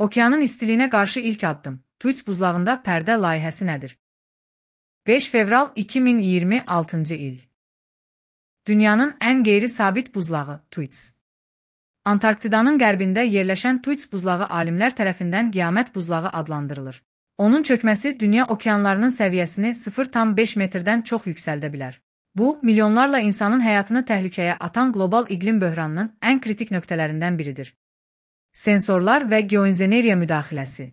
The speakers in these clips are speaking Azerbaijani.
Okeanın istiliyinə qarşı ilk addım. Tuits buzlağında pərdə layihəsi nədir? 5 fevral 2026 il. Dünyanın ən qeyri-sabit buzlağı Tuits. Antarktidanın qərbində yerləşən Tuits buzlağı alimlər tərəfindən qiyamət buzlağı adlandırılır. Onun çökməsi dünya okeanlarının səviyyəsini 0,5 metrdən çox yüksəldə bilər. Bu, milyonlarla insanın həyatını təhlükəyə atan qlobal iqlim böhranının ən kritik nöqtələrindən biridir. Sensorlar və geoenjineriya müdaxiləsi.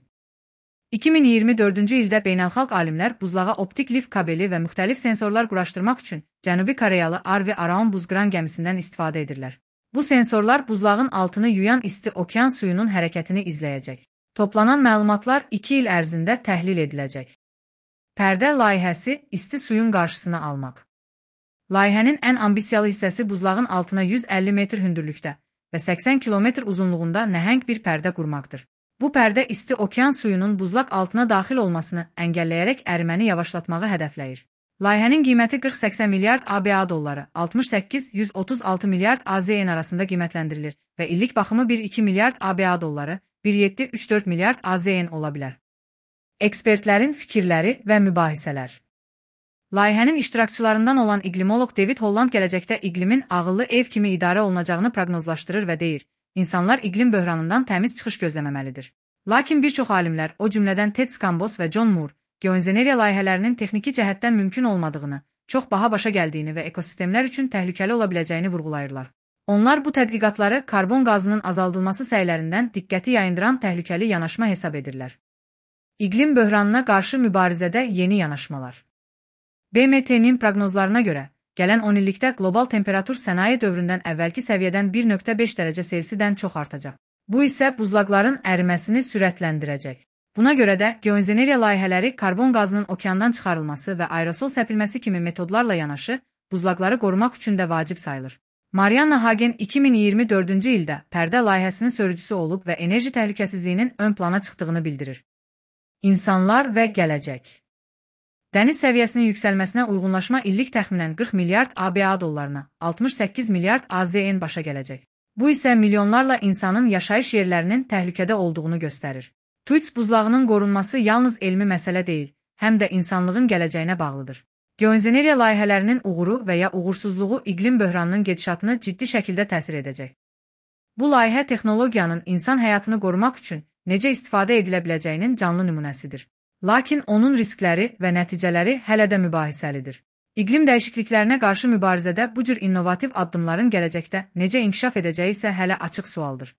2024-cü ildə beynəlxalq alimlər buzlağa optik lift kabeli və müxtəlif sensorlar quraşdırmaq üçün Cənubi Koreyalı Arvi Araon buzqıran gəmisindən istifadə edirlər. Bu sensorlar buzlağın altını yuyan isti okean suyunun hərəkətini izləyəcək. Toplanan məlumatlar 2 il ərzində təhlil ediləcək. Pərdə layihəsi isti suyun qarşısını almaq. Layihənin ən ambisiyalı hissəsi buzlağın altına 150 metr hündürlükdə və 80 kilometr uzunluğunda nəhəng bir pərdə qurmaqdır. Bu pərdə isti okean suyunun buzlaq altına daxil olmasını əngəlləyərək əriməni yavaşlatmağı hədəfləyir. Layihənin qiyməti 40-80 milyard ABA dolları, 68-136 milyard AZN arasında qiymətləndirilir və illik baxımı 1-2 milyard ABA dolları, 1,7-3-4 milyard AZN ola bilər. Ekspertlərin fikirləri və mübahisələr. Layihənin iştirakçılarından olan iqlimoloq David Holland gələcəkdə iqlimin ağıllı ev kimi idarə olunacağını proqnozlaşdırır və deyir, insanlar iqlim böhranından təmiz çıxış gözləməməlidir. Lakin bir çox alimlər, o cümlədən Ted Skambos və John Moore, geoenjineriya layihələrinin texniki cəhətdən mümkün olmadığını, çox baha başa gəldiyini və ekosistemlər üçün təhlükəli ola biləcəyini vurğulayırlar. Onlar bu tədqiqatları karbon qazının azaldılması səylərindən diqqəti yayındıran təhlükəli yanaşma hesab edirlər. İqlim böhranına qarşı mübarizədə yeni yanaşmalar. BMT-nin proqnozlarına görə, gələn 10 illikdə qlobal temperatur sənaye dövründən əvvəlki səviyyədən 1,5 dərəcə Selsidən çox artacaq. Bu isə buzlaqların əriməsini sürətləndirəcək. Buna görə də geoenjineriya layihələri karbon qazının okeandan çıxarılması və aerosol səpilməsi kimi metodlarla yanaşı, buzlaqları qorumaq üçün də vacib sayılır. Marianna Hagen 2024-cü ildə pərdə layihəsinin sörücüsü olub və enerji təhlükəsizliyinin ön plana çıxdığını bildirir. İnsanlar və gələcək. Dəniz səviyyəsinin yüksəlməsinə uyğunlaşma illik təxminən 40 milyard ABA dollarına, 68 milyard AZN başa gələcək. Bu isə milyonlarla insanın yaşayış yerlərinin təhlükədə olduğunu göstərir. Tuits buzlağının qorunması yalnız elmi məsələ deyil, həm də insanlığın gələcəyinə bağlıdır. Geoenjineriya layihələrinin uğuru və ya uğursuzluğu iqlim böhranının gedişatını ciddi şəkildə təsir edəcək. Bu layihə texnologiyanın insan həyatını qorumaq üçün necə istifadə edilə biləcəyinin canlı nümunəsidir. Lakin onun riskləri və nəticələri hələ də mübahisəlidir. İqlim dəyişikliklərinə qarşı mübarizədə bu cür innovativ addımların gələcəkdə necə inkişaf edəcəyi isə hələ açıq sualdır.